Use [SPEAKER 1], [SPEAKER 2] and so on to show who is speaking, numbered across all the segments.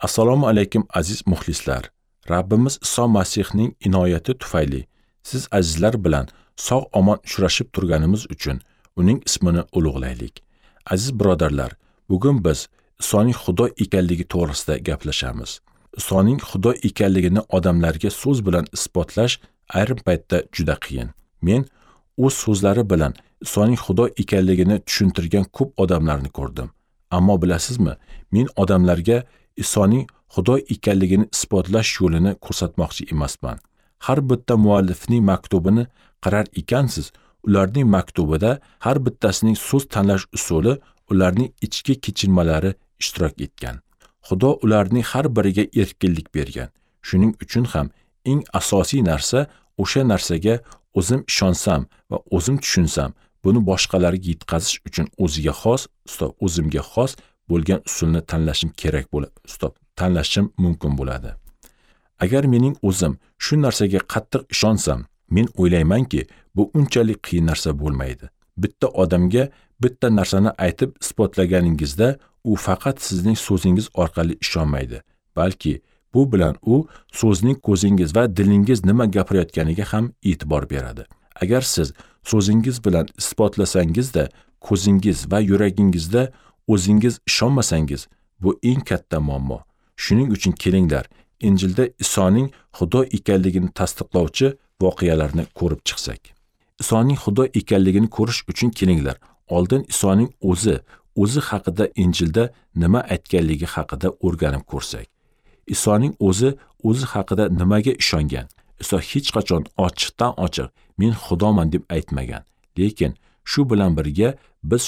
[SPEAKER 1] Assalomu alaykum aziz muxlislar. Rabbimiz Iso Masihning inoyati tufayli siz azizlar bilan sog' omon uchrashib turganimiz uchun uning ismini ulug'laylik. Aziz birodarlar, bugun biz Isoning Xudo ekanligi to'g'risida gaplashamiz. Isoning Xudo ekanligini odamlarga so'z bilan isbotlash ayrim paytda juda qiyin. Men o'z so'zlari bilan Isoning Xudo ekanligini tushuntirgan ko'p odamlarni ko'rdim. Ammo bilasizmi, men odamlarga Isoning Xudo ekanligini isbotlash yo'lini ko'rsatmoqchi emasman. Har bitta muallifning maktubini qarar ekansiz, ularning maktubida har bittasining so'z tanlash usuli, ularning ichki kechinmalari ishtirok etgan. Xudo ularning har biriga erkinlik bergan. Shuning uchun ham eng asosiy narsa o'sha narsaga o'zim ishonsam va o'zim tushunsam, buni boshqalarga yetkazish uchun o'ziga xos, o'zimga xos bo'lgan usulni tanlashim kerak bo'ladi. Tanlashim mumkin bo'ladi. Agar mening o'zim shu narsaga qattiq ishonsam, men o'ylaymanki, bu unchalik qiyin narsa bo'lmaydi. Bitta odamga bitta narsani aytib isbotlaganingizda, u faqat sizning so'zingiz orqali ishonmaydi, balki bu bilan u so'zning ko'zingiz va dilingiz nima gapirayotganiga ham e'tibor beradi. Agar siz so'zingiz bilan isbotlasangizda, ko'zingiz va yuragingizda o'zingiz ishonmasangiz, bu eng katta muammo. Shuning uchun kelinglar, Injilda Isoning Xudo ekanligini tasdiqlovchi voqealarni ko'rib chiqsak. Isoning Xudo ekanligini ko'rish uchun kelinglar, oldin Isoning o'zi haqida Injilda nima aytganligi haqida o'rganib ko'rsak. Isoning o'zi haqida nimaga ishongan? Iso hech qachon ochiqdan ochiq men Xudoman deb aytmagan. Lekin shu bilan birga biz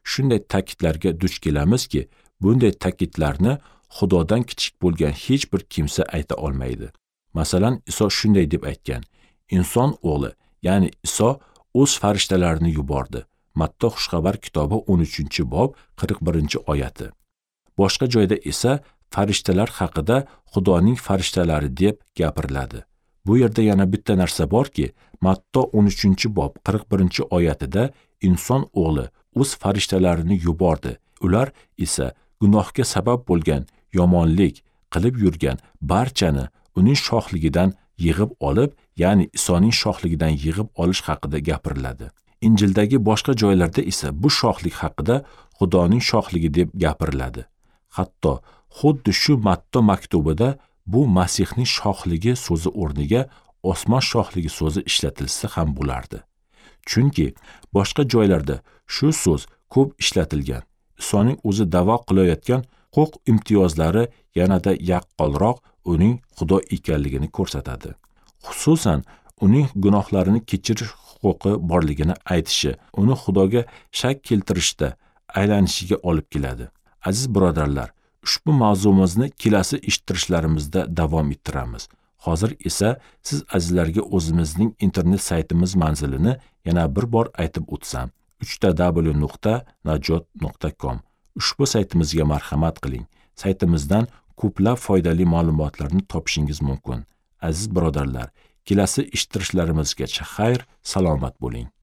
[SPEAKER 1] shunday ta'kidlarga duch kelamizki, bunday ta'kidlarni Xudodan kichik bo'lgan hech bir kimsa ayta olmaydi. Masalan, Iso shunday deb aytgan: "Inson o'g'li, ya'ni Iso o'z farishtalarini yubordi." Matta Xushxabar kitobi 13-bob 41-oyati. Boshqa joyda esa farishtalar haqida Xudoning farishtalari deb gapiriladi. Bu yerda yana bitta narsa borki, Matta 13-bob 41-oyatida inson o'g'li o'z farishtalarini yubordi. Ular esa gunohga sabab bo'lgan, yomonlik qilib yurgan barchani uning shohligidan yig'ib olib, ya'ni Isoning shohligidan yig'ib olish haqida gapiriladi. Injildagi boshqa joylarda esa bu shohlik haqida Xudoning shohligi deb gapiriladi. Hatto xuddi shu Matta maktubida bu Masihning shohligi so'zi o'rniga osmon shohligi so'zi ishlatilsa ham bo'lardi. Chunki boshqa joylarda shu so'z ko'p ishlatilgan. Isoning o'zi da'vo qilayotgan huquq imtiyozlari yanada yaqqolroq uning Xudo ekanligini ko'rsatadi. Xususan, uning gunohlarini kechirish huquqi borligini aytishi uni Xudoga shak keltirishda aylanishiga olib keladi. Aziz birodarlar, ushbu mavzumizni kelasi eshittirishlarimizda davom ettiramiz. Hozir esa siz azizlarga o'zimizning internet saytimiz manzilini yana bir bor aytib o'tsam: www.najot.com. Ushbu saytimizga marhamat qiling. Saytimizdan ko'plab foydali ma'lumotlarni topishingiz mumkin. Aziz birodarlar, kelasi eshittirishlarimizgacha xayr, salomat bo'ling.